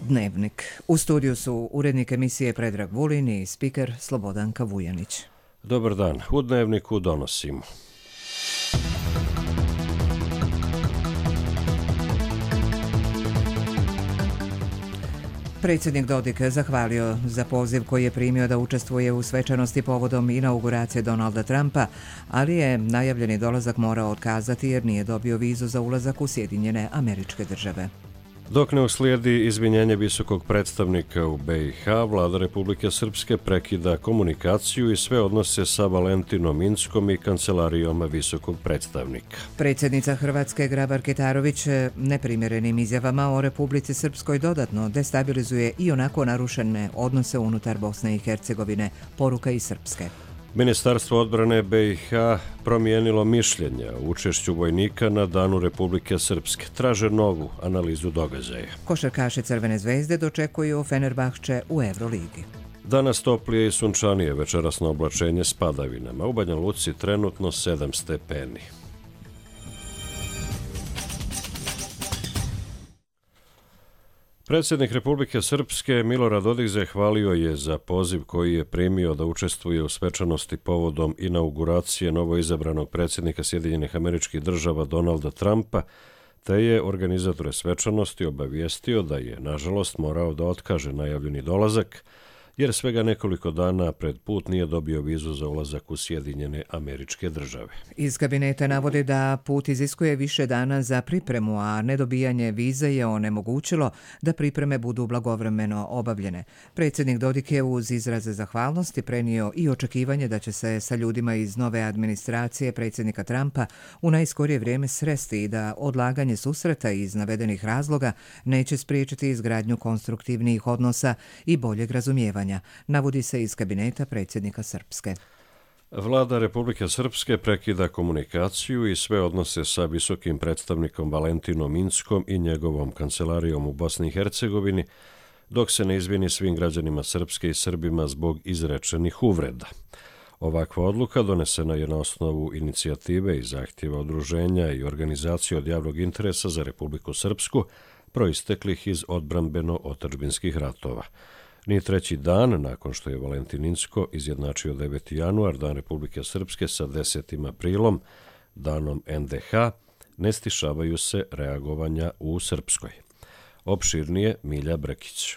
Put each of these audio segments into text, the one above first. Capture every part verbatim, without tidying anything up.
Dnevnik. U studiju su urednik emisije Predrag Vulin i spiker Slobodanka Vujanić. Dobar dan. U Dnevniku donosimo. Predsjednik Dodik zahvalio za poziv koji je primio da učestvuje u svečanosti povodom inauguracije Donalda Trumpa, ali je najavljeni dolazak morao otkazati jer nije dobio vizu za ulazak u Sjedinjene Američke Države. Dok ne uslijedi izvinjenje visokog predstavnika u B i H, vlada Republike Srpske prekida komunikaciju i sve odnose sa Valentinom Inckom i kancelarijom visokog predstavnika. Predsjednica Hrvatske Grabar-Kitarović neprimjerenim izjavama o Republici Srpskoj dodatno destabilizuje i onako narušene odnose unutar Bosne i Hercegovine, poruka iz Srpske. Ministarstvo odbrane B i H promijenilo mišljenje o učešću vojnika na Danu Republike Srpske. Traže novu analizu događaja. Košarkaši Crvene zvezde dočekuju Fenerbahče u Euroligi. Danas toplije i sunčanije, večerasno oblačenje s padavinama. U Banja Luci trenutno sedam stepeni. Predsjednik Republike Srpske Milorad Dodik zahvalio je za poziv koji je primio da učestvuje u svečanosti povodom inauguracije novoizabranog predsjednika Sjedinjenih Američkih Država Donalda Trumpa, te je organizatore svečanosti obavijestio da je, nažalost, morao da otkaže najavljeni dolazak, jer svega nekoliko dana pred put nije dobio vizu za ulazak u Sjedinjene Američke Države. Iz kabineta navode da put iziskuje više dana za pripremu, a nedobijanje vize je onemogućilo da pripreme budu blagovremeno obavljene. Predsjednik Dodik je uz izraze zahvalnosti prenio i očekivanje da će se sa ljudima iz nove administracije predsjednika Trumpa u najskorije vrijeme sresti i da odlaganje susreta iz navedenih razloga neće spriječiti izgradnju konstruktivnih odnosa i boljeg razumijevanja, navodi se iz kabineta predsjednika Srpske. Vlada Republike Srpske prekida komunikaciju i sve odnose sa visokim predstavnikom Valentinom Inckom i njegovom kancelarijom u Bosni i Hercegovini, dok se ne izvini svim građanima Srpske i Srbima zbog izrečenih uvreda. Ovakva odluka donesena je na osnovu inicijative i zahtjeva udruženja i organizacije od javnog interesa za Republiku Srpsku, proisteklih iz odbrambeno-otadžbinskih ratova. Ni treći dan nakon što je Valentin Incko izjednačio deveti januar, Dan Republike Srpske, sa desetim aprilom, danom N D H, ne stišavaju se reagovanja u Srpskoj. Opširnije Milja Brekić.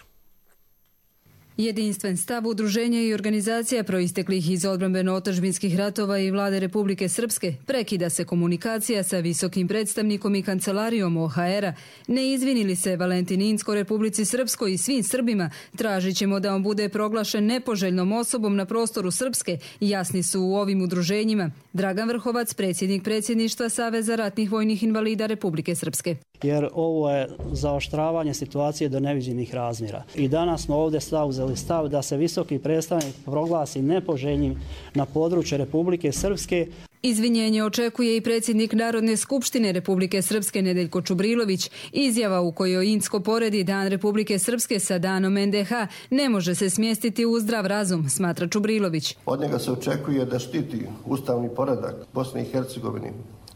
Jedinstven stav udruženja i organizacija proisteklih iz odbrambeno-otadžbinskih ratova i vlade Republike Srpske prekida se komunikacija sa visokim predstavnikom i kancelarijom O H R-a. Ne izvinili se Valentin Incko Republici Srpskoj i svim Srbima, tražit ćemo da on bude proglašen nepoželjnom osobom na prostoru Srpske, jasni su u ovim udruženjima. Dragan Vrhovac, predsjednik predsjedništva Saveza ratnih vojnih invalida Republike Srpske. Jer ovo je zaoštravanje situacije do neviđenih razmjera. I danas smo ovdje zauzeli stav da se visoki predstavnik proglasi nepoželjnim na području Republike Srpske. Izvinjenje očekuje i predsjednik Narodne skupštine Republike Srpske Nedeljko Čubrilović. Izjava u kojoj Incko poredi Dan Republike Srpske sa danom N D H ne može se smjestiti u zdrav razum, smatra Čubrilović. Od njega se očekuje da štiti ustavni poredak Bosne i Hercegovine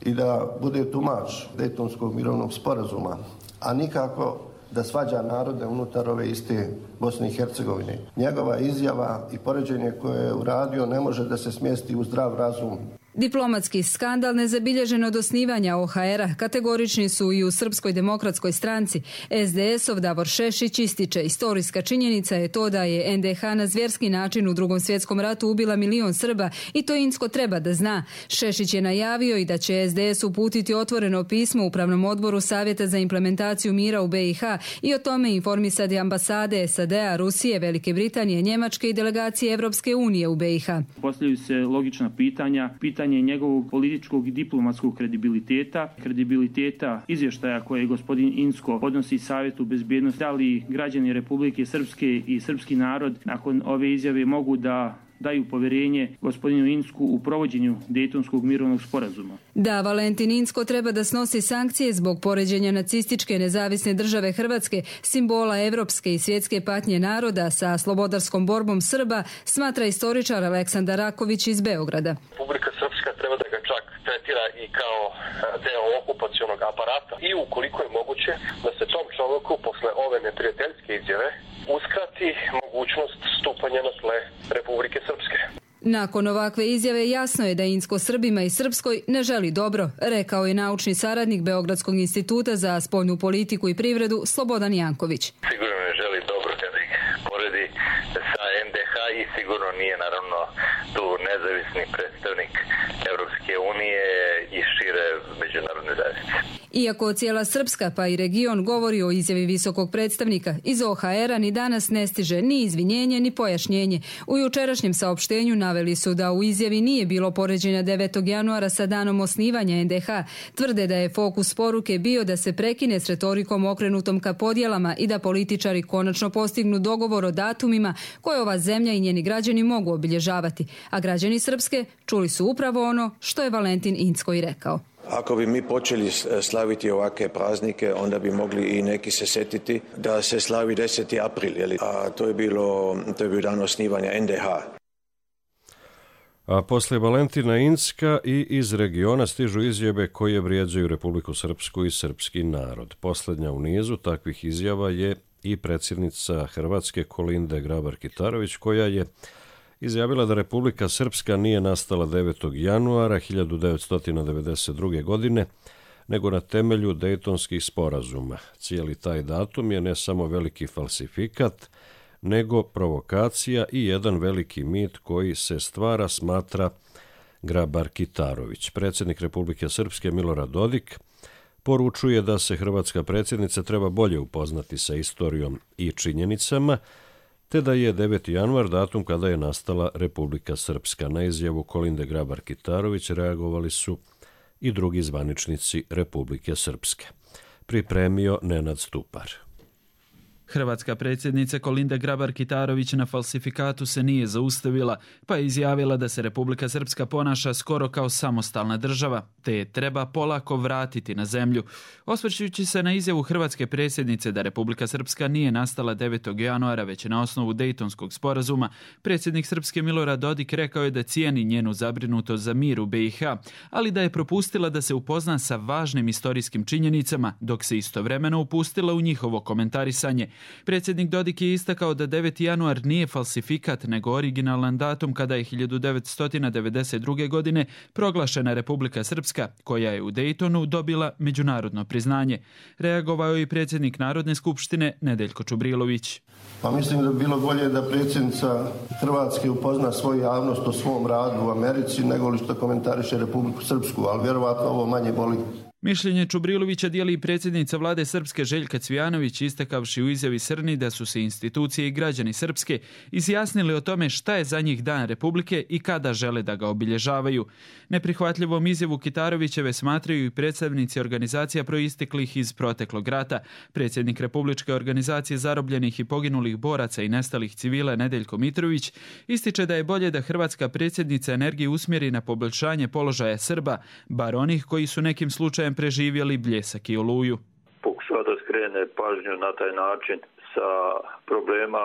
i da bude tumač Dejtonskog mirovnog sporazuma, a nikako da svađa narode unutar ove iste Bosne i Hercegovine. Njegova izjava i poređenje koje je uradio ne može da se smjesti u zdrav razum. Diplomatski skandal nezabilježen od osnivanja O H R-a kategorični su i u Srpskoj demokratskoj stranci. S D S-ov Davor Šešić ističe, istorijska činjenica je to da je N D H na zvjerski način u Drugom svjetskom ratu ubila milion Srba i to Incko treba da zna. Šešić je najavio i da će S D S uputiti otvoreno pismo Upravnom odboru Savjeta za implementaciju mira u B i H i o tome informisati ambasade S A D-a, Rusije, Velike Britanije, Njemačke i delegacije Evropske unije u B i H. Postavljaju se logična pitanja, pitanja njegovog političkog i diplomatskog kredibiliteta, kredibiliteta izvještaja koje gospodin Incko podnosi Savjetu bezbjednosti, da li građani Republike Srpske i srpski narod nakon ove izjave mogu da daju povjerenje gospodinu Incku u provođenju Dejtonskog mirovnog sporazuma. Da, Valentin Incko treba da snosi sankcije zbog poređenja nacističke nezavisne države Hrvatske, simbola evropske i svjetske patnje naroda sa slobodarskom borbom Srba, smatra istoričar Aleksandar Raković iz Beograda. Republika Srpska treba da ga čak tretira tretira i kao deo okupacionog aparata i ukoliko je moguće da se tom čovjeku posle ove neprijateljske izjave uskrati mogućnost stupanja na tle Republike Srpske. Nakon ovakve izjave jasno je da Incko Srbima i Srpskoj ne želi dobro, rekao je naučni saradnik Beogradskog instituta za spoljnu politiku i privredu Slobodan Janković. Sigurno ne želi dobro kada ih poredi sa en de ha i sigurno nije naravno tu nezavisni predstavnik Evropske unije i šire međunarodne zajednice. Iako cijela Srpska pa i region govori o izjavi visokog predstavnika, iz o ha era ni danas ne stiže ni izvinjenje ni pojašnjenje. U jučerašnjem saopštenju naveli su da u izjavi nije bilo poređenja devetog januara sa danom osnivanja en de ha. Tvrde da je fokus poruke bio da se prekine s retorikom okrenutom ka podjelama i da političari konačno postignu dogovor o datumima koje ova zemlja i njeni građani mogu obilježavati. A građani Srpske čuli su upravo ono što je Valentin Incko i rekao. Ako bi mi počeli slaviti ovakve praznike, onda bi mogli i neki se setiti da se slavi deseti april, a to je bilo, to je bio dan osnivanja en de ha. A posle Valentina Incka i iz regiona stižu izjave koje vrijeđaju Republiku Srpsku i srpski narod. Posljednja u nizu takvih izjava je i predsjednica Hrvatske Kolinde Grabar-Kitarović, koja je izjavila da Republika Srpska nije nastala devetog januara hiljadu devetsto devedeset druge. godine, nego na temelju Dejtonskih sporazuma. Cijeli taj datum je ne samo veliki falsifikat, nego provokacija i jedan veliki mit koji se stvara, smatra Grabar-Kitarović. Predsjednik Republike Srpske Milorad Dodik poručuje da se hrvatska predsjednica treba bolje upoznati sa istorijom i činjenicama, te da je deveti januar datum kada je nastala Republika Srpska. Na izjavu Kolinde Grabar-Kitarović reagovali su i drugi zvaničnici Republike Srpske. Pripremio Nenad Stupar. Hrvatska predsjednica Kolinda Grabar-Kitarović na falsifikatu se nije zaustavila, pa je izjavila da se Republika Srpska ponaša skoro kao samostalna država, te je treba polako vratiti na zemlju. Osvrćujući se na izjavu hrvatske predsjednice da Republika Srpska nije nastala devetog januara već na osnovu Dejtonskog sporazuma, predsjednik Srpske Milorad Dodik rekao je da cijeni njenu zabrinutost za mir u be i ha, ali da je propustila da se upozna sa važnim istorijskim činjenicama, dok se istovremeno upustila u njihovo komentarisanje. Predsjednik Dodik je istakao da deveti januar nije falsifikat, nego originalan datum kada je hiljadu devetsto devedeset druge. godine proglašena Republika Srpska, koja je u Dejtonu dobila međunarodno priznanje. Reagovao je i predsjednik Narodne skupštine Nedeljko Čubrilović. Pa mislim da bi bilo bolje da predsjednica Hrvatske upozna svoju javnost o svom radu u Americi nego li što komentariše Republiku Srpsku, ali vjerovatno ovo manje boli. Mišljenje Čubrilovića dijeli i predsjednica vlade Srpske Željka Cvijanović, istakavši u izjavi Srni da su se institucije i građani Srpske izjasnili o tome šta je za njih dan Republike i kada žele da ga obilježavaju. Neprihvatljivom izjavu Kitarovićeve smatraju i predstavnici organizacija proisteklih iz proteklog rata. Predsjednik Republičke organizacije zarobljenih i poginulih boraca i nestalih civila Nedeljko Mitrović ističe da je bolje da hrvatska predsjednica energiju usmjeri na poboljšanje položaja Srba, bar onih koji su nekim slučajem preživjeli Bljesak i Oluju. Pokušava da skrene pažnju na taj način sa problema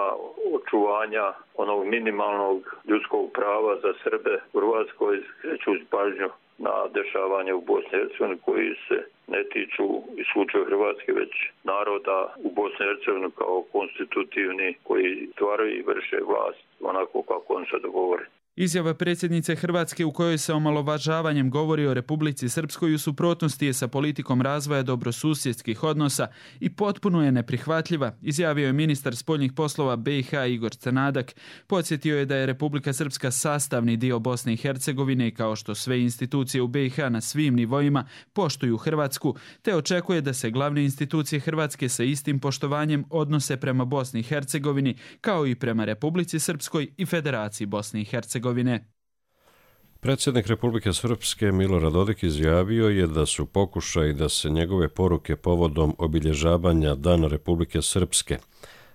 očuvanja onog minimalnog ljudskog prava za Srbe u Hrvatskoj, skrećući pažnju na dešavanje u Bosni i Hercegovini koji se ne tiču isključivo Hrvatske, već naroda u Bosni i Hercegovini kao konstitutivni koji stvaraju i vrše vlast onako kako on se dogovori. Izjava predsjednice Hrvatske u kojoj se omalovažavanjem govori o Republici Srpskoj u suprotnosti je sa politikom razvoja dobrosusjedskih odnosa i potpuno je neprihvatljiva, izjavio je ministar spoljnih poslova be i ha Igor Crnadak. Podsjetio je da je Republika Srpska sastavni dio Bosne i Hercegovine i kao što sve institucije u be i ha na svim nivoima poštuju Hrvatsku, te očekuje da se glavne institucije Hrvatske sa istim poštovanjem odnose prema Bosni i Hercegovini kao i prema Republici Srpskoj i Federaciji Bosne i Hercegovine. Predsjednik Republike Srpske Milorad Dodik izjavio je da su pokušaji da se njegove poruke povodom obilježavanja Dana Republike Srpske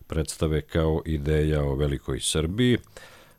predstave kao ideja o velikoj Srbiji,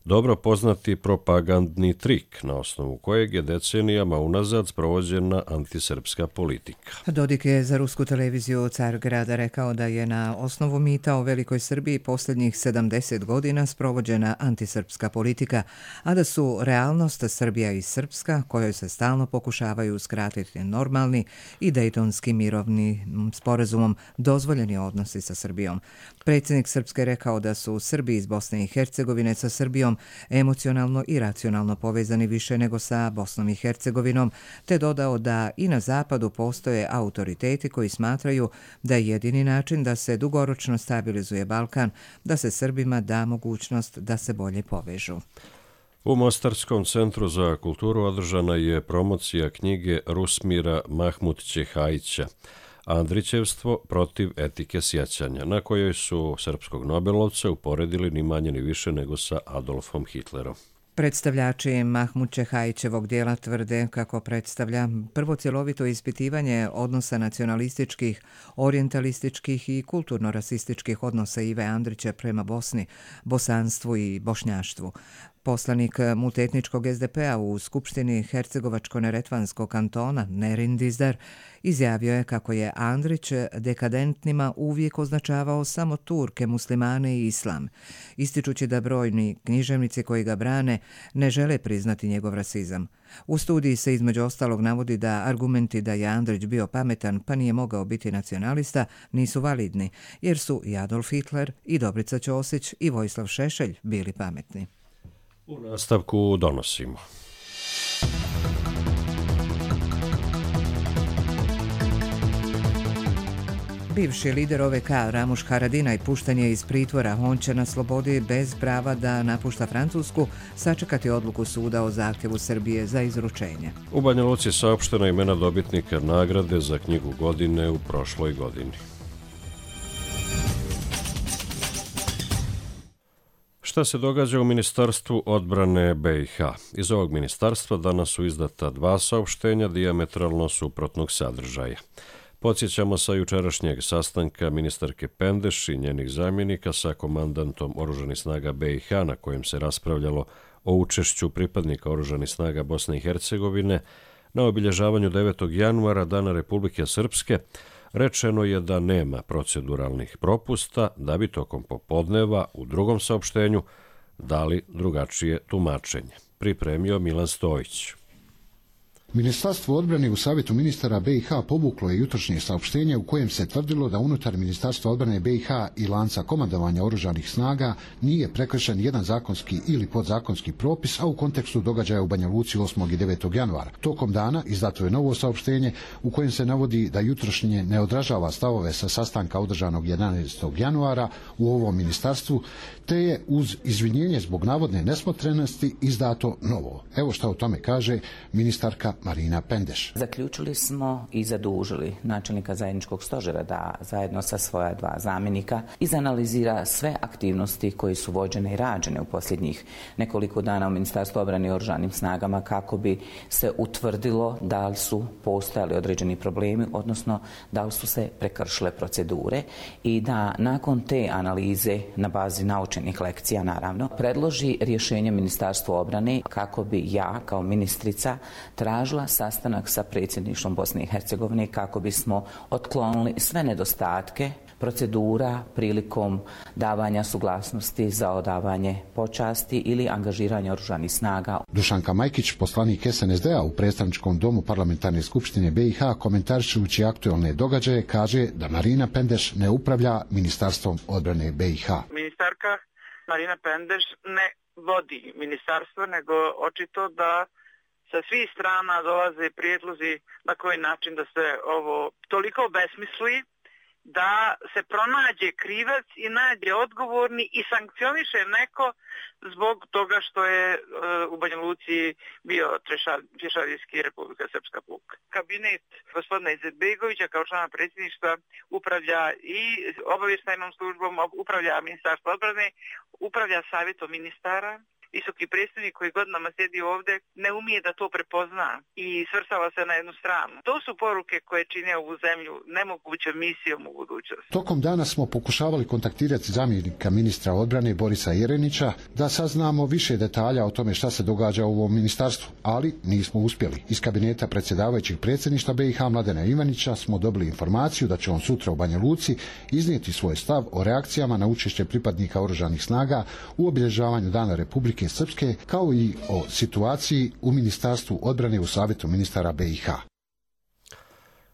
dobro poznati propagandni trik na osnovu kojeg je decenijama unazad sprovođena antisrpska politika. Dodik je za rusku televiziju Cargrada rekao da je na osnovu mita o Velikoj Srbiji posljednjih sedamdeset godina sprovođena antisrpska politika, a da su realnost Srbija i Srpska, kojoj se stalno pokušavaju uskratiti normalni i dejtonski mirovni sporazumom dozvoljeni odnosi sa Srbijom. Predsjednik Srpske rekao da su Srbi iz Bosne i Hercegovine sa Srbijom emocionalno i racionalno povezani više nego sa Bosnom i Hercegovinom, te dodao da i na zapadu postoje autoriteti koji smatraju da je jedini način da se dugoročno stabilizuje Balkan, da se Srbima da mogućnost da se bolje povežu. U Mostarskom centru za kulturu održana je promocija knjige Rusmira Mahmudčehajića Andrićevstvo protiv etike sjećanja, na kojoj su srpskog Nobelovca uporedili ni manje ni više nego sa Adolfom Hitlerom. Predstavljači Mahmudčehajićevog dijela tvrde kako predstavlja prvo cjelovito ispitivanje odnosa nacionalističkih, orijentalističkih i kulturno-rasističkih odnosa Ive Andrića prema Bosni, bosanstvu i bošnjaštvu. Poslanik multietničkog es de pe a u Skupštini Hercegovačko-neretvanskog kantona Nerin Dizdar izjavio je kako je Andrić dekadentnima uvijek označavao samo Turke, muslimane i islam, ističući da brojni književnici koji ga brane ne žele priznati njegov rasizam. U studiji se između ostalog navodi da argumenti da je Andrić bio pametan pa nije mogao biti nacionalista nisu validni, jer su i Adolf Hitler, i Dobrica Ćosić, i Vojislav Šešelj bili pametni. U nastavku donosimo. Bivši lider O V K Ramuš Haradinaj pušten je iz pritvora. On će na slobodi bez prava da napušta Francusku sačekati odluku suda o zahtjevu Srbije za izručenje. U Banja Luci saopštena imena dobitnika nagrade za knjigu godine u prošloj godini. Šta se događa u Ministarstvu odbrane be i ha? Iz ovog ministarstva danas su izdata dva saopštenja dijametralno suprotnog sadržaja. Podsjećamo sa jučerašnjeg sastanka ministarke Pendeš i njenih zamjenika sa komandantom Oružanih snaga be i ha, na kojem se raspravljalo o učešću pripadnika Oružanih snaga Bosne i Hercegovine na obilježavanju devetog januara, Dana Republike Srpske. Rečeno je da nema proceduralnih propusta, da bi tokom popodneva u drugom saopštenju dali drugačije tumačenje. Pripremio Milan Stojić. Ministarstvo odbrane u Savjetu ministara be i ha povuklo je jutrošnje saopštenje u kojem se tvrdilo da unutar Ministarstva odbrane be i ha i lanca komandovanja oružanih snaga nije prekršen jedan zakonski ili podzakonski propis, a u kontekstu događaja u Banja Luci osmog i devetog januara. Tokom dana izdato je novo saopštenje u kojem se navodi da jutrošnje ne odražava stavove sa sastanka održanog jedanaestog januara u ovom ministarstvu, te je uz izvinjenje zbog navodne nesmotrenosti izdato novo. Evo šta o tome kaže ministarka Marina Pendeš. Zaključili smo i zadužili načelnika zajedničkog stožera da zajedno sa svoja dva zamjenika izanalizira sve aktivnosti koje su vođene i rađene u posljednjih nekoliko dana u Ministarstvu obrane i oružanim snagama kako bi se utvrdilo da li su postojali određeni problemi, odnosno da li su se prekršile procedure i da nakon te analize na bazi naučenih lekcija naravno predloži rješenje Ministarstvu obrane kako bi ja kao ministrica tražila sastanak sa predsjedništvom Bosne i Hercegovine kako bismo otklonili sve nedostatke procedura prilikom davanja suglasnosti za odavanje počasti ili angažiranja oružanih snaga. Dušanka Majkić, poslanik es en es de a u predstavničkom domu Parlamentarne skupštine be i ha, komentarišući aktualne događaje, kaže da Marina Pendeš ne upravlja Ministarstvom odbrane be i ha. Ministarka Marina Pendeš ne vodi ministarstvo, nego očito da sa svih strana dolaze prijedlozi na koji način da se ovo toliko obesmisli, da se pronađe krivac i nađe odgovorni i sankcioniše neko zbog toga što je uh, u Banja Luci bio Trešadijski Republika Srpska puk. Kabinet gospodina Izetbegovića kao člana predsjedništva upravlja i obavještajnom službom, upravlja Ministarstvo odbrane, upravlja savjetom ministara visoki predstavnik koji godinama sjedi ovdje ne umije da to prepozna i svrstava se na jednu stranu. To su poruke koje čine ovu zemlju nemogućom misijom u budućnosti. Tokom dana smo pokušavali kontaktirati zamjenika ministra odbrane Borisa Jerenića da saznamo više detalja o tome šta se događa u ovom ministarstvu, ali nismo uspjeli. Iz kabineta predsjedavajućeg predsjedništva B i H Mladena Ivanića smo dobili informaciju da će on sutra u Banja Luci iznijeti svoj stav o reakcijama na učešće pripadnika oružanih snaga u obilježavanju Dana Republike Srpske, kao i o situaciji u Ministarstvu odbrane u Savjetu ministara B i H.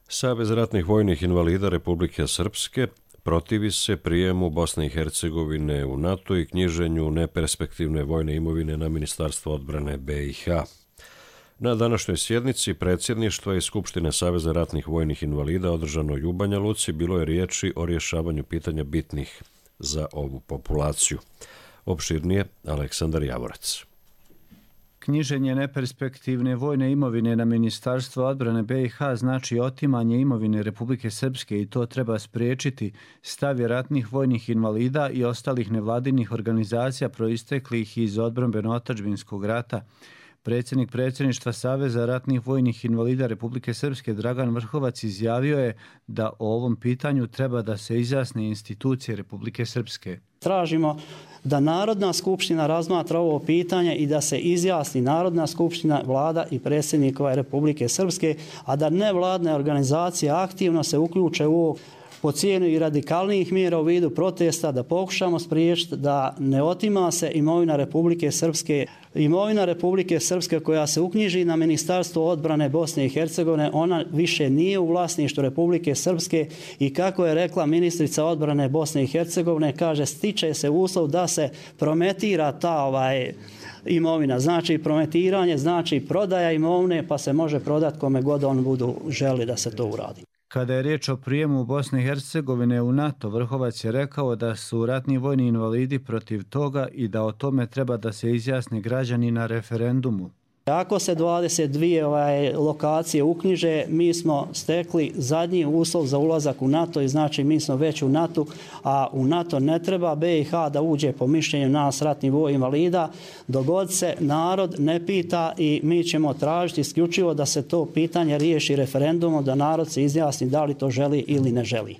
Savez ratnih vojnih invalida Republike Srpske protivi se prijemu Bosne i Hercegovine u NATO i knjiženju neperspektivne vojne imovine na Ministarstvo odbrane B i H. Na današnjoj sjednici predsjedništva i Skupštine Saveza ratnih vojnih invalida održanoj u Banja Luci bilo je riječi o rješavanju pitanja bitnih za ovu populaciju. Opširnije Aleksandar Javorac. Knjiženje neperspektivne vojne imovine na Ministarstvo odbrane B i H znači otimanje imovine Republike Srpske i to treba spriječiti, stav je ratnih vojnih invalida i ostalih nevladinih organizacija proisteklih iz odbrambeno-otadžbinskog rata. Predsjednik predsjedništva Saveza ratnih vojnih invalida Republike Srpske Dragan Vrhovac izjavio je da o ovom pitanju treba da se izjasne institucije Republike Srpske. Tražimo da Narodna skupština razmatra ovo pitanje i da se izjasni Narodna skupština, vlada i predsjednikova Republike Srpske, a da nevladne organizacije aktivno se uključe u ovo po cijenu i radikalnijih mjera u vidu protesta, da pokušamo spriječiti da ne otima se imovina Republike Srpske. Imovina Republike Srpske koja se uknjiži na Ministarstvo odbrane Bosne i Hercegovine, ona više nije u vlasništvu Republike Srpske i kako je rekla ministrica odbrane Bosne i Hercegovine, kaže stiče se uslov da se prometira ta ovaj imovina. Znači prometiranje, znači prodaja imovine pa se može prodati kome god on budu želi da se to uradi. Kada je riječ o prijemu Bosne i Hercegovine u NATO, Vrhovac je rekao da su ratni vojni invalidi protiv toga i da o tome treba da se izjasne građani na referendumu. Ako se dvadeset dvije ovaj, lokacije uknjiže, mi smo stekli zadnji uslov za ulazak u NATO i znači mi smo već u NATO, a u NATO ne treba B i H da uđe po mišljenju nas ratnih vojnih invalida. Dogod se narod ne pita i mi ćemo tražiti isključivo da se to pitanje riješi referendumom, da narod se izjasni da li to želi ili ne želi.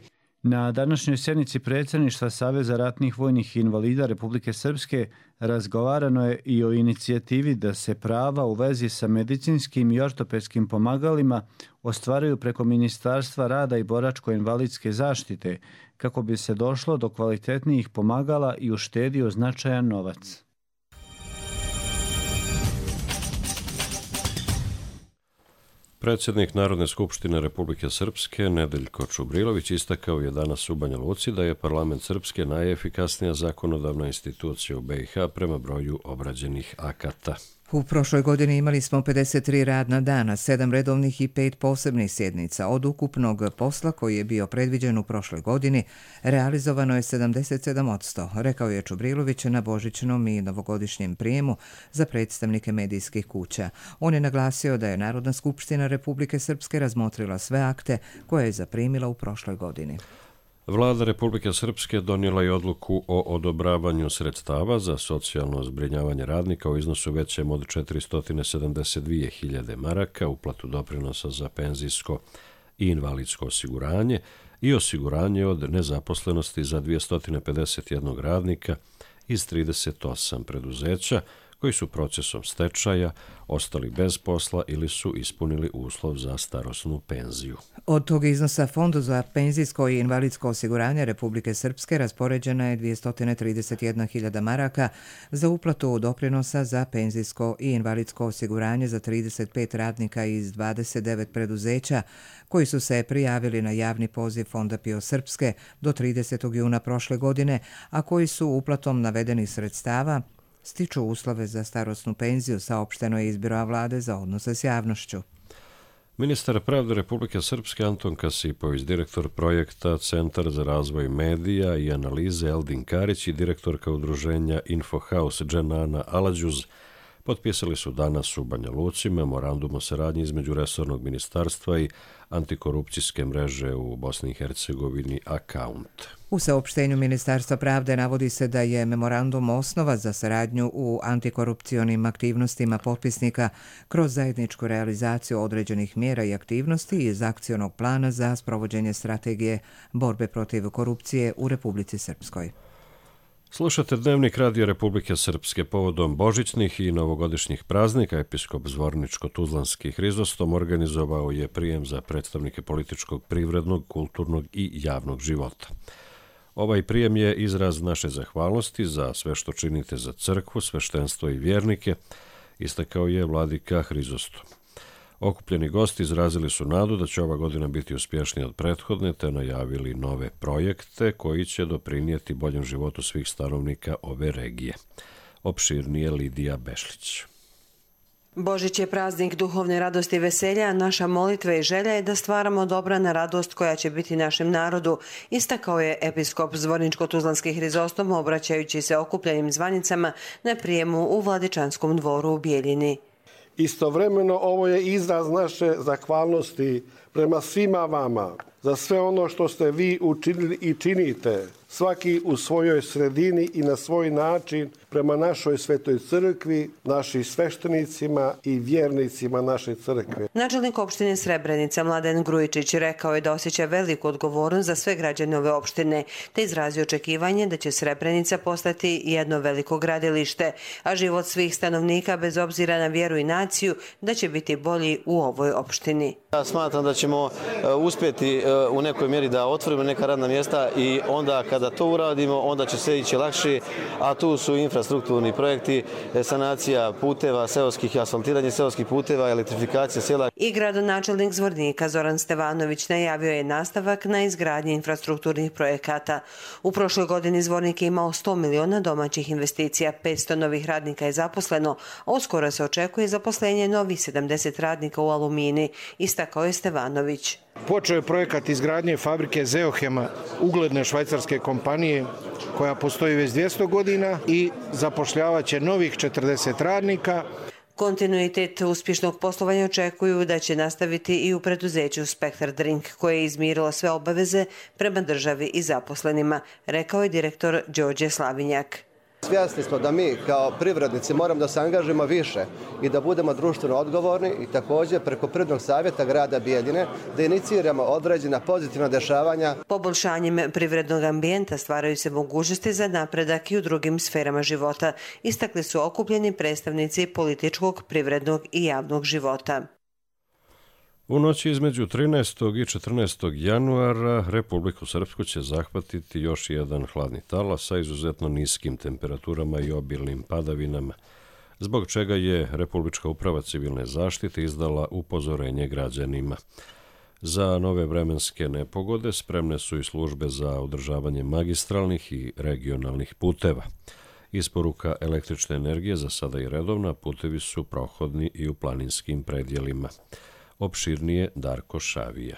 Na današnjoj sjednici predsjedništva Saveza ratnih vojnih invalida Republike Srpske razgovarano je i o inicijativi da se prava u vezi sa medicinskim i ortopedskim pomagalima ostvaruju preko Ministarstva rada i boračko-invalidske zaštite, kako bi se došlo do kvalitetnijih pomagala i uštedio značajan novac. Predsjednik Narodne skupštine Republike Srpske Nedeljko Čubrilović istakao je danas u Banja Luci da je parlament Srpske najefikasnija zakonodavna institucija u B i H prema broju obrađenih akata. U prošloj godini imali smo pedeset tri radna dana, sedam redovnih i pet posebnih sjednica. Od ukupnog posla koji je bio predviđen u prošloj godini, realizovano je sedamdeset sedam posto, rekao je Čubrilović na božićnom i novogodišnjem prijemu za predstavnike medijskih kuća. On je naglasio da je Narodna skupština Republike Srpske razmotrila sve akte koje je zaprimila u prošloj godini. Vlada Republike Srpske donijela je odluku o odobravanju sredstava za socijalno zbrinjavanje radnika u iznosu većem od četiristo sedamdeset dvije hiljade maraka, uplatu doprinosa za penzijsko i invalidsko osiguranje i osiguranje od nezaposlenosti za dvjesto pedeset jedan radnika iz trideset osam preduzeća koji su procesom stečaja ostali bez posla ili su ispunili uslov za starosnu penziju. Od tog iznosa Fondu za penzijsko i invalidsko osiguranje Republike Srpske raspoređena je dvjesto trideset jedna hiljada maraka za uplatu doprinosa za penzijsko i invalidsko osiguranje za trideset pet radnika iz dvadeset devet preduzeća koji su se prijavili na javni poziv Fonda P I O Srpske do tridesetog juna prošle godine, a koji su uplatom navedenih sredstava stiču uslove za starosnu penziju, saopšteno je iz Biroa vlade za odnose s javnošću. Ministar pravde Republike Srpske Anton Kasipović, direktor projekta Centar za razvoj medija i analize Eldin Karić i direktorka udruženja Infohaus Dženana Aladžuz potpisali su danas u Banja Luci memorandum o saradnji između resornog ministarstva i antikorupcijske mreže u Bosni i Hercegovini Account. U saopštenju Ministarstva pravde navodi se da je memorandum osnova za saradnju u antikorupcionim aktivnostima potpisnika kroz zajedničku realizaciju određenih mjera i aktivnosti iz akcionog plana za sprovođenje strategije borbe protiv korupcije u Republici Srpskoj. Slušate Dnevnik Radio Republike Srpske. Povodom božićnih i novogodišnjih praznika episkop Zvorničko-Tuzlanski Hrizostom organizovao je prijem za predstavnike političkog, privrednog, kulturnog i javnog života. Ovaj prijem je izraz naše zahvalnosti za sve što činite za crkvu, sveštenstvo i vjernike, istakao je vladika Hrizostom. Okupljeni gosti izrazili su nadu da će ova godina biti uspješnija od prethodne, te najavili nove projekte koji će doprinijeti boljem životu svih stanovnika ove regije. Opširnije Lidija Bešlić. Božić je praznik duhovne radosti i veselja, naša molitva i želja je da stvaramo dobra na radost koja će biti našem narodu, istakao je episkop Zvorničko-Tuzlanski Hrizostom obraćajući se okupljenim zvanicama na prijemu u Vladičanskom dvoru u Bijeljini. Istovremeno ovo je izraz naše zahvalnosti prema svima vama za sve ono što ste vi učinili i činite, svaki u svojoj sredini i na svoj način prema našoj svetoj crkvi, našim sveštenicima i vjernicima naše crkve. Načelnik opštine Srebrenica Mladen Grujičić rekao je da osjeća veliku odgovornost za sve građane ove opštine, te izrazio očekivanje da će Srebrenica postati jedno veliko gradilište, a život svih stanovnika bez obzira na vjeru i naciju da će biti bolji u ovoj opštini. Ja smatram da ćemo uspjeti u nekoj mjeri da otvorimo neka radna mjesta i onda kada to uradimo, onda će sve ići lakše, a tu su infrastrukturni projekti, sanacija puteva, seoskih, asfaltiranje seoskih puteva, elektrifikacija sela. I gradonačelnik Zvornika Zoran Stevanović najavio je nastavak na izgradnji infrastrukturnih projekata. U prošloj godini Zvornik je imao sto miliona domaćih investicija, petsto novih radnika je zaposleno, a uskoro se očekuje zaposlenje novih sedamdeset radnika u Alumini, istakao je Stevanović. Počeo je projekat izgradnje fabrike Zeohema, ugledne švajcarske kompanije koja postoji već dvjesto godina i zapošljavaće novih četrdeset radnika. Kontinuitet uspješnog poslovanja očekuju da će nastaviti i u preduzeću Spektar Drink, koje je izmirilo sve obaveze prema državi i zaposlenima, rekao je direktor Đorđe Slavinjak. Svjesni smo da mi kao privrednici moramo da se angažujemo više i da budemo društveno odgovorni i također preko Privrednog savjeta grada Bijeljine da iniciramo određena pozitivna dešavanja. Poboljšanjem privrednog ambijenta stvaraju se mogućnosti za napredak i u drugim sferama života, istakli su okupljeni predstavnici političkog, privrednog i javnog života. U noći između trinaestog i četrnaestog januara Republiku Srpsku će zahvatiti još jedan hladni talas sa izuzetno niskim temperaturama i obilnim padavinama, zbog čega je Republička uprava civilne zaštite izdala upozorenje građanima. Za nove vremenske nepogode spremne su i službe za održavanje magistralnih i regionalnih puteva. Isporuka električne energije za sada i redovna, putevi su prohodni i u planinskim predjelima. Opširnije Darko Šavija.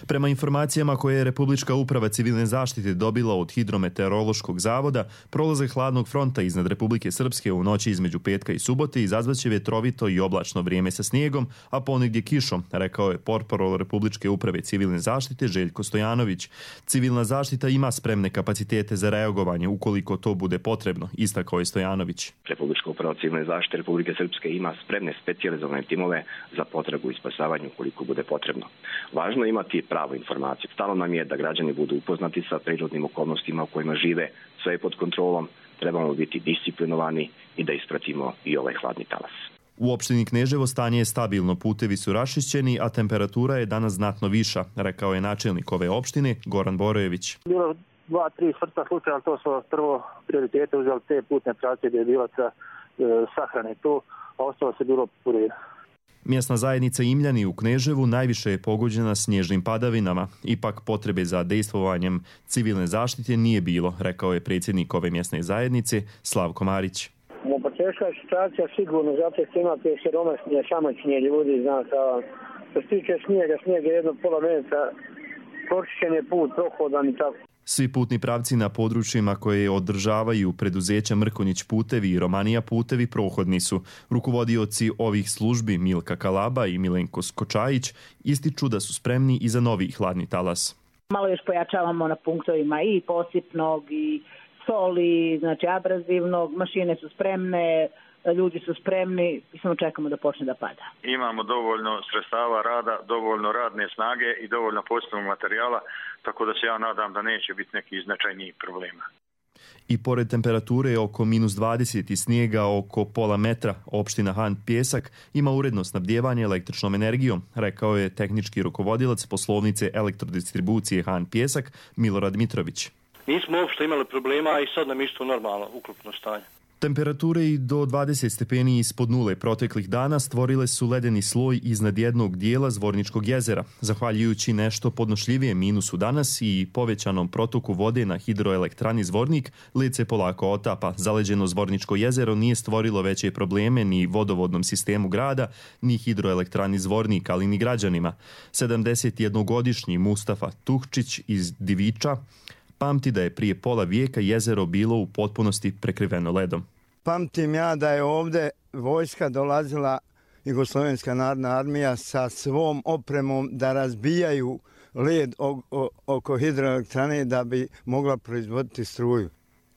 Prema informacijama koje je Republička uprava civilne zaštite dobila od Hidrometeorološkog zavoda, prolaze hladnog fronta iznad Republike Srpske u noći između petka i subote izazvaće vjetrovito i oblačno vrijeme sa snijegom, a ponegdje kišom, rekao je portparol Republičke uprave civilne zaštite Željko Stojanović. Civilna zaštita ima spremne kapacitete za reagovanje ukoliko to bude potrebno, istakao je Stojanović. Republička uprava civilne zaštite Republike Srpske ima spremne specijalizovane timove za potrebu i spasavanje ukoliko bude potrebno. Važno je imati pravu informaciju. Stalo nam je da građani budu upoznati sa prirodnim okolnostima u kojima žive, sve je pod kontrolom, trebamo biti disciplinovani i da ispratimo i ovaj hladni talas. U opštini Kneževo stanje je stabilno, putevi su raščišćeni, a temperatura je danas znatno viša, rekao je načelnik ove opštine Goran Borojević. Bilo dva, tri smrtna slučaja, to su prvo prioritete uzeli te putne pravce gdje je bila sa, e, sahrane tu, a ostalo se bilo purira. Mjesna zajednica Imljani u Kneževu najviše je pogođena snježnim padavinama. Ipak potrebe za dejstvovanjem civilne zaštite nije bilo, rekao je predsjednik ove mjesne zajednice Slavko Marić. U početka je situacija sigurno, zato što imate siromašnije, samačnije ljudi, znate, a što se tiče snijega, snijeg je jedno pola metra, pročišćen je put, prohodan i tako. Svi putni pravci na područjima koje održavaju preduzeća Mrkonjić putevi i Romanija putevi prohodni su. Rukovodioci ovih službi Milka Kalaba i Milenko Skočajić ističu da su spremni i za novi hladni talas. Malo još pojačavamo na punktovima i posipnog i soli, znači abrazivnog, mašine su spremne, ljudi su spremni i samo čekamo da počne da pada. Imamo dovoljno sredstava rada, dovoljno radne snage i dovoljno poslovnog materijala, tako da se ja nadam da neće biti neki značajnijih problema. I pored temperature oko minus dvadeset i snijega oko pola metra, opština Han Pjesak ima uredno snabdijevanje električnom energijom, rekao je tehnički rukovodilac poslovnice elektrodistribucije Han Pjesak Milorad Mitrović. Nismo uopšte imali problema i sad nam isto normalno uklopno stanje. Temperature i do dvadeset stepeni ispod nule proteklih dana stvorile su ledeni sloj iznad jednog dijela Zvorničkog jezera. Zahvaljujući nešto podnošljivijem minusu danas i povećanom protoku vode na hidroelektrani Zvornik, led se polako otapa. Zaleđeno Zvorničko jezero nije stvorilo veće probleme ni vodovodnom sistemu grada, ni hidroelektrani Zvornik, ali ni građanima. sedamdesetjednogodišnji Mustafa Tuhčić iz Diviča pamti da je prije pola vijeka jezero bilo u potpunosti prekriveno ledom. Pamtim ja da je ovdje vojska dolazila, Jugoslovenska narodna armija, sa svom opremom da razbijaju led oko hidroelektrane da bi mogla proizvoditi struju.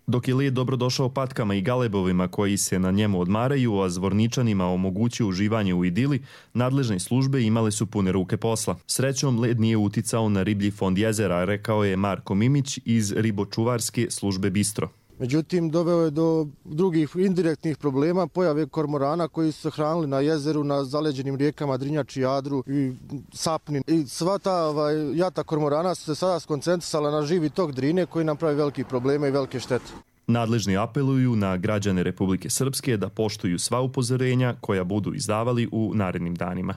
Dok je led dobrodošao patkama i galebovima koji se na njemu odmaraju, a Zvorničanima omogućio uživanje u idili, nadležne službe imale su pune ruke posla. Srećom, led nije uticao na riblji fond jezera, rekao je Marko Mimić iz ribočuvarske službe Bistro. Međutim, doveo je do drugih indirektnih problema, pojave kormorana koji su se hranili na jezeru, na zaleđenim rijekama Drinjači, Jadru i Sapnin. I sva ta ovaj, jata kormorana su se sada skoncentrisala na živi tok Drine koji nam pravi velike probleme i velike štete. Nadležni apeluju na građane Republike Srpske da poštuju sva upozorenja koja budu izdavali u narednim danima.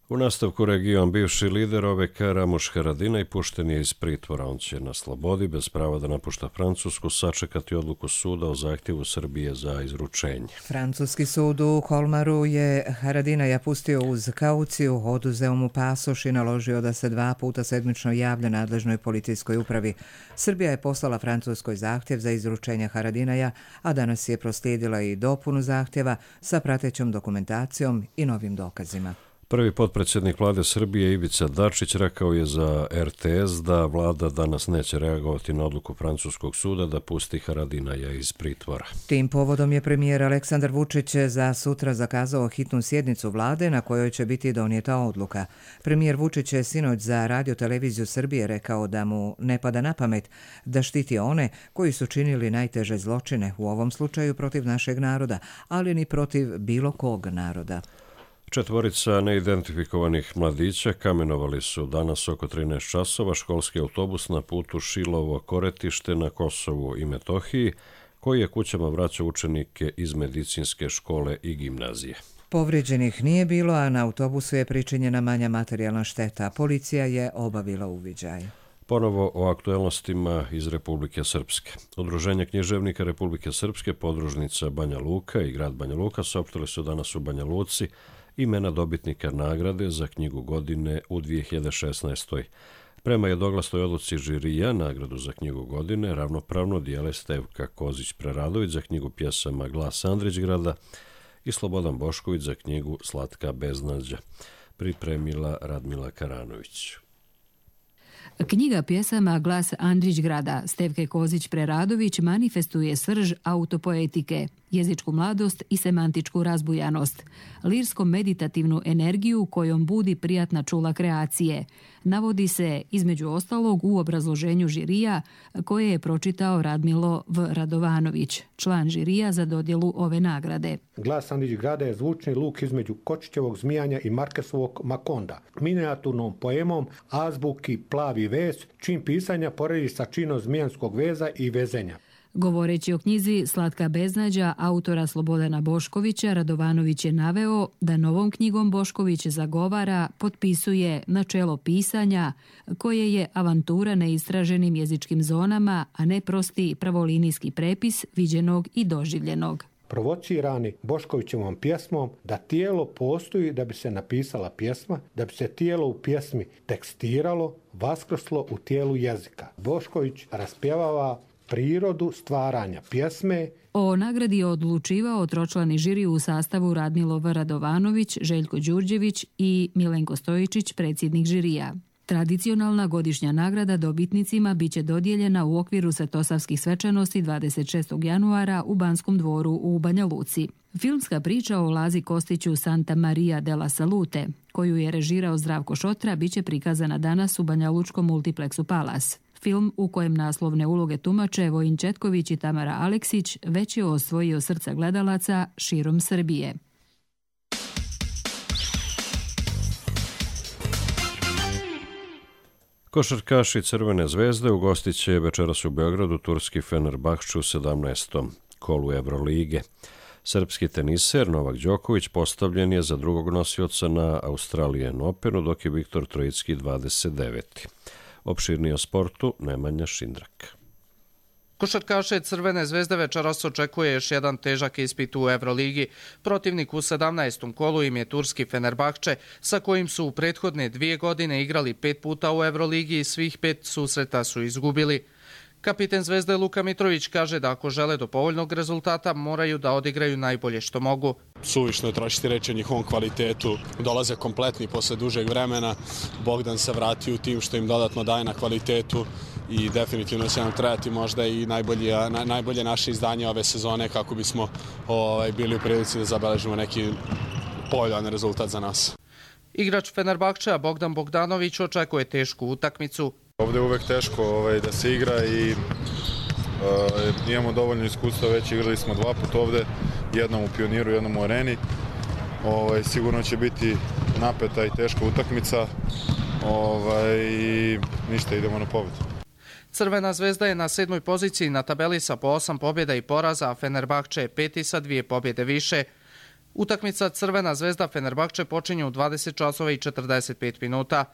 U nastavku region bivši lider O V K Ramuš Haradinaj pušten je iz pritvora. On će na slobodi, bez prava da napušta Francusku, sačekati odluku suda o zahtjevu Srbije za izručenje. Francuski sud u Kolmaru je Haradinaja pustio uz kauciju, oduzeo mu pasoš i naložio da se dva puta sedmično javlja nadležnoj policijskoj upravi. Srbija je poslala Francuskoj zahtjev za izručenje Haradinaja, a danas je proslijedila i dopunu zahtjeva sa pratećom dokumentacijom i novim dokazima. Prvi potpredsjednik vlade Srbije Ivica Dačić rekao je za R T S da vlada danas neće reagovati na odluku francuskog suda da pusti Haradinaja iz pritvora. Tim povodom je premijer Aleksandar Vučić za sutra zakazao hitnu sjednicu vlade na kojoj će biti donijeta odluka. Premijer Vučić je sinoć za Radio televiziju Srbije rekao da mu ne pada na pamet da štiti one koji su činili najteže zločine, u ovom slučaju protiv našeg naroda, ali ni protiv bilo kog naroda. Četvorica neidentifikovanih mladića kamenovali su danas oko trinaest časova školski autobus na putu Šilovo-Koretište na Kosovu i Metohiji, koji je kućama vraćao učenike iz medicinske škole i gimnazije. Povrijeđenih nije bilo, a na autobusu je pričinjena manja materijalna šteta. Policija je obavila uviđaj. Ponovo o aktuelnostima iz Republike Srpske. Udruženje književnika Republike Srpske, podružnica Banja Luka i grad Banja Luka saopštili su danas u Banja Luci imena dobitnika nagrade za knjigu godine u dvije hiljade šesnaestoj. Prema jednoglasnoj odluci žirija, nagradu za knjigu godine ravnopravno dijele Stevka Kozić-Preradović za knjigu pjesama Glas Andrićgrada i Slobodan Bošković za knjigu Slatka beznađa. Pripremila Radmila Karanović. Knjiga pjesama Glas Andrićgrada Stevke Kozić-Preradović manifestuje srž autopoetike, jezičku mladost i semantičku razbujanost, lirsko-meditativnu energiju kojom budi prijatna čula kreacije. Navodi se, između ostalog, u obrazloženju žirija koje je pročitao Radmilo V. Radovanović, član žirija za dodjelu ove nagrade. Glas Andrićgrada je zvučni luk između Kočićevog Zmijanja i Markesovog Makonda, minijaturnom poemom azbuki Plavi vez, čim pisanja poredi sa činom zmijanskog veza i vezenja. Govoreći o knjizi Slatka beznađa autora Slobodana Boškovića, Radovanović je naveo da novom knjigom Bošković zagovara, potpisuje načelo pisanja koje je avantura neistraženim jezičkim zonama, a ne prosti pravolinijski prepis viđenog i doživljenog. provocirani Boškovićevom pjesmom da tijelo postoji da bi se napisala pjesma, da bi se tijelo u pjesmi tekstiralo, vaskrslo u tijelu jezika. Bošković raspjevava prirodu stvaranja pjesme. O nagradi je odlučivao tročlani žiri u sastavu Radmilo V. Radovanović, Željko Đurđević i Milenko Stojičić, predsjednik žirija. Tradicionalna godišnja nagrada dobitnicima biće dodijeljena u okviru svetosavskih svečanosti dvadeset šestog januara u Banskom dvoru u Banja Luci. Filmska priča o Lazi Kostiću Santa Maria della Salute, koju je režirao Zdravko Šotra, biće prikazana danas u Banja Lučkom multiplexu Palas. Film u kojem naslovne uloge tumače Vojin Četković i Tamara Aleksić već je osvojio srca gledalaca širom Srbije. Košarkaši Crvene zvezde ugostit će večeras u Beogradu turski Fenerbahču u sedamnaestom kolu Evrolige. Srpski teniser Novak Đoković postavljen je za drugog nosioca na Australian Openu, dok je Viktor Trojicki dvadeset deveti. Opširnije o sportu Nemanja Šindrak. Košarkaše Crvene zvezde večeras očekuje još jedan težak ispit u Evroligi. Protivnik u sedamnaestom kolu im je turski Fenerbahče, sa kojim su u prethodne dvije godine igrali pet puta u Evroligi i svih pet susreta su izgubili. Kapiten Zvezde Luka Mitrović kaže da ako žele do povoljnog rezultata moraju da odigraju najbolje što mogu. Suvišno je trošiti reći o njihovom kvalitetu. Dolaze kompletni posle dužeg vremena. Bogdan se vratio u tim što im dodatno daje na kvalitetu i definitivno će nam trebati možda i najbolje, na, najbolje naše izdanje ove sezone kako bismo ovaj, bili u prilici da zabeležimo neki povoljan rezultat za nas. Igrač Fenerbahčea Bogdan Bogdanović očekuje tešku utakmicu. Ovdje je uvek teško ovaj, da se igra i uh, imamo dovoljno iskustva, već igrali smo dva puta ovde, jednom u Pioniru, jednom u Areni. Ovaj, sigurno će biti napeta i teška utakmica ovaj, i ništa, idemo na pobedu. Crvena zvezda je na sedmoj poziciji na tabeli sa po osam pobjeda i poraza, a Fenerbahče je peti sa dvije pobjede više. Utakmica Crvena zvezda Fenerbahče počinje u dvadeset časova i četrdeset pet minuta.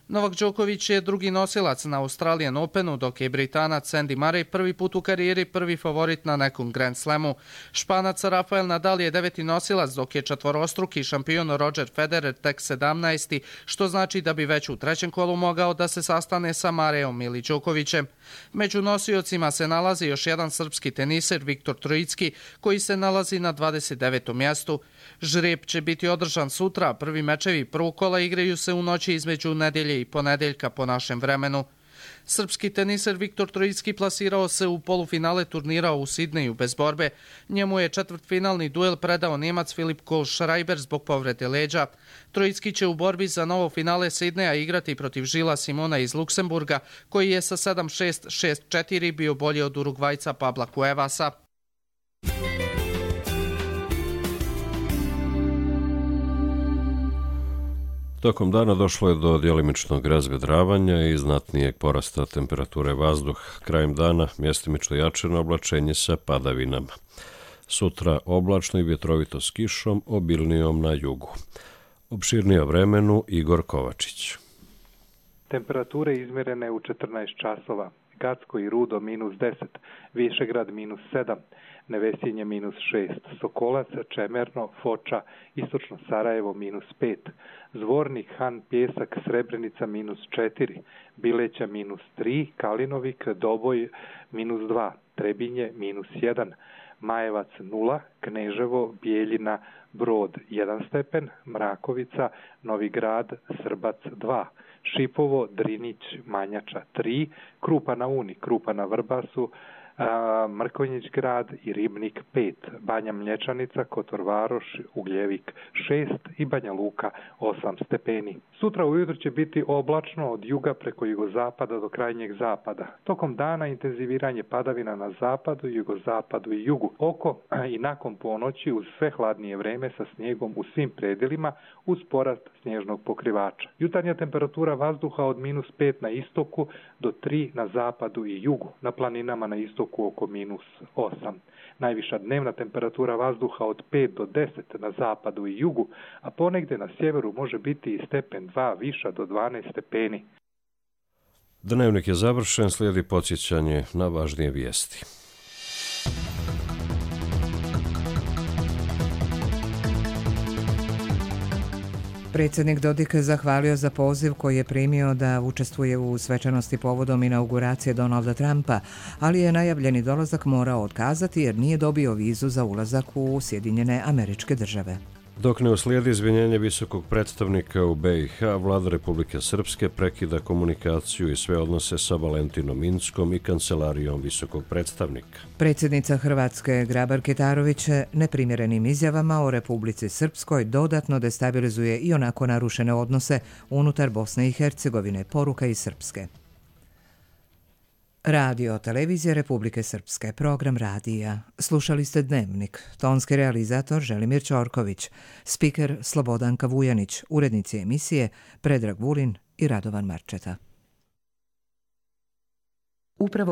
Novak Đoković je drugi nosilac na Australian Openu, dok je Britanac Andy Murray prvi put u karijeri prvi favorit na nekom Grand Slamu. Španac Rafael Nadal je deveti nosilac, dok je četvorostruki šampion Roger Federer tek sedamnaesti, što znači da bi već u trećem kolu mogao da se sastane sa Mareom ili Đokovićem. Među nosiocima se nalazi još jedan srpski teniser Viktor Trojicki, koji se nalazi na dvadeset devetom mjestu. Žreb će biti održan sutra, prvi mečevi prvog kola igraju se u noći između nedjelje i ponedeljka po našem vremenu. Srpski teniser Viktor Trojicki plasirao se u polufinale turnira u Sidneju bez borbe. Njemu je četvrtfinalni duel predao Njemac Filip Kohlschreiber zbog povrede leđa. Trojicki će u borbi za novo finale Sidneja igrati protiv Žila Simona iz Luksemburga, koji je sa sedam šest, šest četiri bio bolji od Urugvajca Pabla Cuevasa. Tokom dana došlo je do djelimičnog razvedravanja i znatnijeg porasta temperature vazduha. Krajem dana mjestimično jačeno oblačenje sa padavinama. Sutra oblačno i vjetrovito s kišom, obilnijom na jugu. Opširnije o vremenu Igor Kovačić. Temperature izmjerene u četrnaest časova. Gacko i Rudo minus deset, Višegrad minus sedam, Nevesinje minus šest, Sokolac, Čemerno, Foča, Istočno Sarajevo minus pet, Zvornik, Han, Pjesak, Srebrenica minus četiri, Bileća minus tri, Kalinovik, Doboj minus dva, Trebinje minus jedan, Majevac nula, Kneževo, Bijeljina, Brod jedan stepen, Mrakovica, Novi Grad, Srbac dva, Šipovo, Drinić, Manjača tri, Krupa na Uni, Krupa na Vrbasu, Mrkonjić grad i Ribnik pet, Banja Mlječanica, Kotor Varoš, Ugljevik šest i Banja Luka osam stepeni. Sutra ujutro će biti oblačno od juga preko jugozapada do krajnjeg zapada. Tokom dana intenziviranje padavina na zapadu, jugozapadu i jugu. Oko i nakon ponoći uz sve hladnije vreme sa snijegom u svim predjelima uz porast snježnog pokrivača. Jutarnja temperatura vazduha od minus pet na istoku do tri na zapadu i jugu. Na planinama na istoku oko minus osam. Najviša dnevna temperatura vazduha od pet do deset na zapadu i jugu, a ponegde na sjeveru može biti i stepen dva viša do dvanaest stepeni. Dnevnik je završen, slijedi podsjećanje na važnije vijesti. Predsjednik Dodik zahvalio za poziv koji je primio da učestvuje u svečanosti povodom inauguracije Donalda Trumpa, ali je najavljeni dolazak morao otkazati jer nije dobio vizu za ulazak u Sjedinjene Američke Države. Dok ne uslijedi izvinjenje visokog predstavnika u B i H, vlada Republike Srpske prekida komunikaciju i sve odnose sa Valentinom Inckom i kancelarijom visokog predstavnika. Predsjednica Hrvatske Grabar Kitarović neprimjerenim izjavama o Republici Srpskoj dodatno destabilizuje i onako narušene odnose unutar Bosne i Hercegovine, poruka iz Srpske. Radio Televizija Republike Srpske, program radija. Slušali ste Dnevnik, tonski realizator Želimir Ćorković, spiker Slobodanka Vujanić, urednici emisije Predrag Vulin i Radovan Marčeta. Upravo